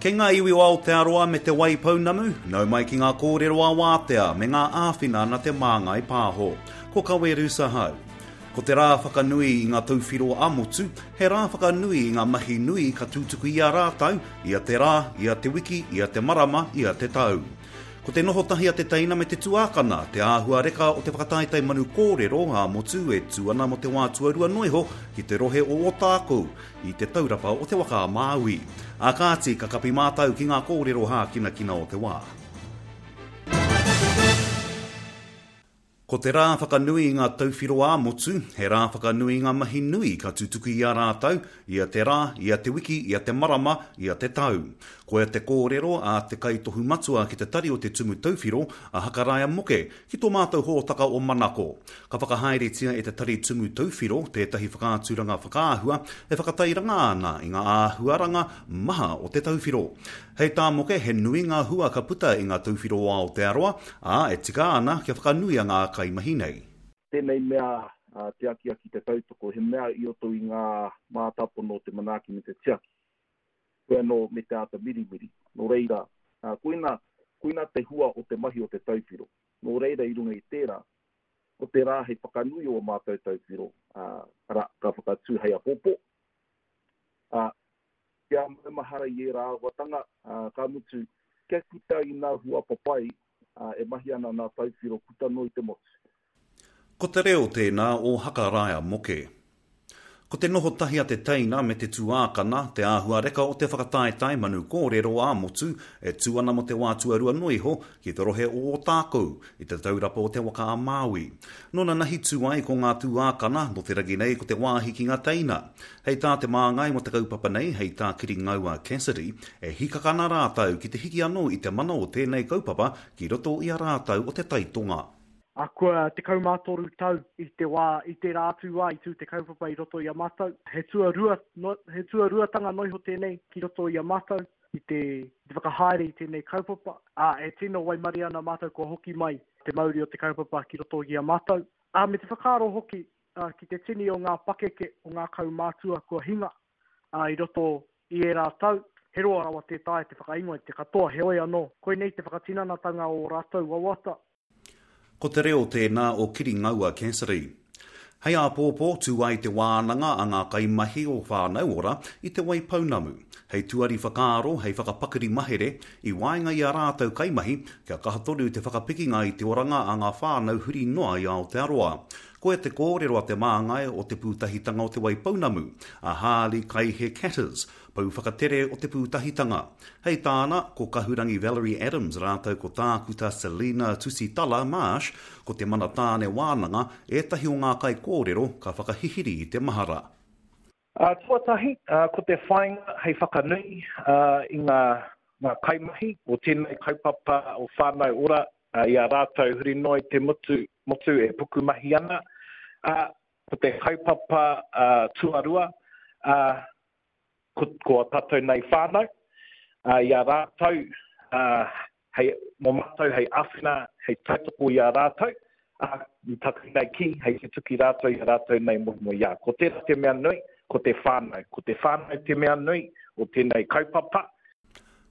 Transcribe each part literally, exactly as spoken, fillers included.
Kei ngā iwi o Aotearoa me Te Waipounamu, nau mai ki ngā kōrero ā-wātea me ngā āwhina na Te Māngai Pāho. Ko Kawe Hau. Ko te rā whakanui i ngā tauwhiro ā-motu, he rā whakanui i ngā mahi nui ka tutuki i a rātou, ia te rā, ia te wiki, ia te marama, ia te tau. Ko te noho tahi a te teina me te tuākana, te āhua reka o te whakataetae manu kōrero ā-motu e tū ana mō te wā tuarua noa iho ki te rohe o Ōtākou, i te taurapa o te waka a Māui. Ā kāti, ka kapi mātou ki ngā kōrero hākinakina o te wā. Ko te rā whakanui i ngā tauwhiro ā-motu, he rā whakanui i ngā mahi nui ka tutuki i a rātou, ia te rā, ia te wiki, ia te marama, ia te tau. Koia te kōrero a te kaitohu matua ki te tari o te Tumu Tauwhiro, a Hakaraia Moke, ki tō mātou hōtaka o Manako. Ka whakahaeretia e te tari Tumu Tauwhiro tētahi whakaaturanga whakaahua e whakatairanga ana i ngā āhuaranga maha o te tauwhiro. Hei tā Moke, he nui ngā hua ka puta i ngā tauwhiro o Aotearoa, ā, e tika ana kia whakanuia ngā kaimahi nei. Tēnei mea te akiaki te tautoko, he mea i roto i ngā mātāpono o te manaaki me te tiaki. Koe anō me te āta mirimiri. Nō reira, koina, koina te hua o te mahi o te tauwhiro. Nō reira i runga i tērā, ko te rā hei whakanui o mātou tauwhiro, arā, ka whakatū hei apopo. Ā, kia maumahara i ērā āhuatanga, ka mutu, kia puta i ngā hua papai e mahi ana ngā tauwhiro puta noa i te motu. Ko te reo tēnā o Hakaraia Moke. Ko te noho tahi a te teina me te tuākana, te āhua reka o te whakataetae manu kōrero ā-motu e tū ana mō te wā tuarua noa iho ki te rohe o Ōtākou, i te taurapa o te waka a Māui. Nōna nahi tū ai ko ngā tuākana, nō te rangi nei ko te wāhi ki ngā teina. Hei tā te māngai mō te kaupapa nei, hei tā Kiringaua Cassidy, e hikaka ana rātou ki te hiki anō i te mana o tēnei kaupapa ki roto i a rātou o te taitonga. A kua tekau mā toru tau i te wā, i tērā atu wā i tū te kaupapa i roto i a mātou. He tuarua, no, he tuaruatanga noa iho tēnei ki roto i a mātou i te, te whakahaere i tēnei kaupapa. A, e tino waimarie ana mātou kua hoki mai te mauri o te kaupapa ki roto i a mātou. A, me te whakaaro hoki a, ki te tini o ngā pakeke, o ngā kaumātua kua hinga a, i roto i ērā tau. He roa rawa tē taea te whakaingoa i te katoa, heoi anō. Koinei te whakatinanatanga o rātou wawata. Ko te reo tēnā o Kiringaua Cassidy. Hei āpōpō tū ai te wānanga a ngā kaimahi o Whānau Ora i Te Waipounamu. Hei tuari whakaaro, hei whakapakari mahere, i waenga i a rātou kaimahi, kia kaha tonu te whakapikinga i te oranga a ngā whānau huri noa i Aotearoa. Koia te kōrero a te māngai o te pūtahitanga o Te Waipounamu, a Harley Kaihe Catters, pou whakatere o te pūtahitanga. Hei tāna, ko Kahurangi Valerie Adams rātou ko tākuta Selina Tusitala Marsh, ko te mana tāne wānanga, ētahi o ngā kaikōrero ka whakahihiri i te mahara. Uh, tuatahi, uh, ko te whāinga hei whakanui uh, i ngā, ngā kaimahi o tēnei kaupapa o Whānau Ora uh, i a rātou huri noa i te motu, motu e pukumahi ana. Uh, ko te kaupapa uh, tuarua, uh, ko, ko a tātou nei whānau, uh, i a rātou, uh, hei, mō mātou hei āwhina, hei tautoko i a rātou, uh, i taku nei ki, hei tutuki rātou i a rātou nei moemoeā. Ko tērā te mea nui, ko te whānau. Ko te whānau te mea nui o tēnei kaupapa.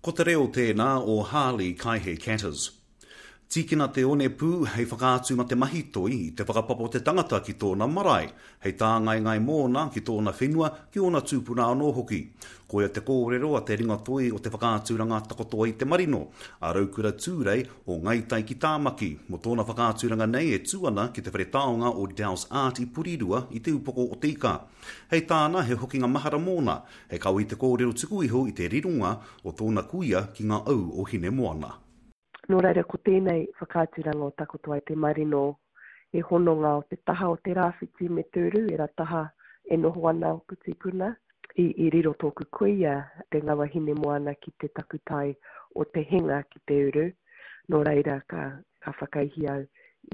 Ko te reo tēnā o Harley Kaihe Catters. Tīkina te onepū hei whakaatu ma te mahi toi i te whakapapa o te tangata ki tōna marae, hei tāngaengae mōna ki tōna whenua, ki ōna tūpuna anō hoki. Koia te kōrero a te ringatoi o te whakaaturanga takoto ai te marino, a Raukura Tūrei o Ngai Tai ki Tāmaki, mō tōna whakaaturanga nei e tū ana ki te whare taonga o Dowse Art i Porirua i te upoko o te ika. Hei tāna he hokinga mahara mōna, hei kawe i te kōrero tuku iho i te rironga o tōna kuia ki ngā au o Hinemoana. Nō reira, ko tēnei whakaaturanga o Takoto ai te marino e hononga o te taha o te rāwhiti me te uru, e rā taha e noho ana o Putikuna. I, i riro tōku kuia te ngawa Hinemoana ki te takutai o te henga ki te uru. Nō reira, ka, ka whakaihi au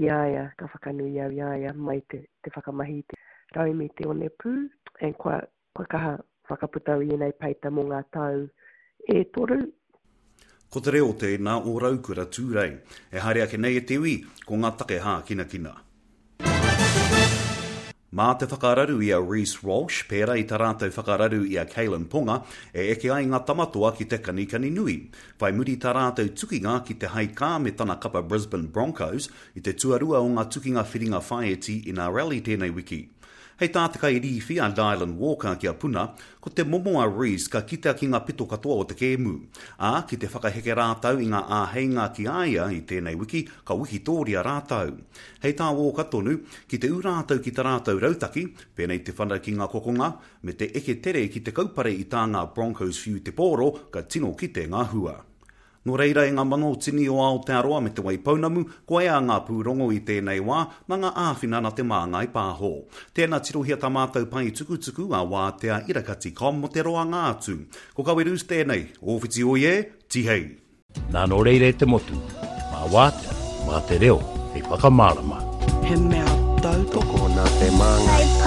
i a ia, ka whakanui au i a ia mai te, te whakamahi i te raumi te onepū. And kua, kua kaha whakaputa i ēnei peita mō ngā tau e toru. Ko te reo tēnā o Raukura Tūrei. E haere ake nei e te iwi, ko ngā take hākinakina. Mā te whakararu i a Reece Walsh, pērā i tā rātou whakararu i a Kalyn Ponga, e eke ai ngā tamatoa ki te kanikani nui. Whai muri tā rātou tukinga ki te haikā me tana kapa Brisbane Broncos i te tuarua o ngā tukinga whiringa whāiti N R L i tēnei wiki. Hei tā te kairīwhi a Dylan Walker ki a Puna, ko te momo a Reece ka kitea ki ngā pito katoa o te kēmu. Ā, ki te whakaheke rātou i ngā āheinga ki a ia i tēnei wiki, ka wikitōria rātou. Hei tā Walker tonu, ki te ū rātou ki tā rātou rautaki, pēnei te whana ki ngā kokonga, me te eke tere ki te kaupare i tā ngā Broncos whiu te pōro, ka tino kite ngā hua. Nō reira e ngā mano tini o Aotearoa me Te Waipounamu, ko ea ngā pūrongo i tēnei wā, nā ngā āwhina na Te Māngai Pāho. Tēnā tirohia tā mātou pae tukutuku a wātea irakati com mo te roanga atu. Ko Kawerus tēnei, o whiti oi e, tihei! Nā nō reira e te motu, mā wātea, mā te reo, hei whakamārama. He mea tautoko nā Te Māngai.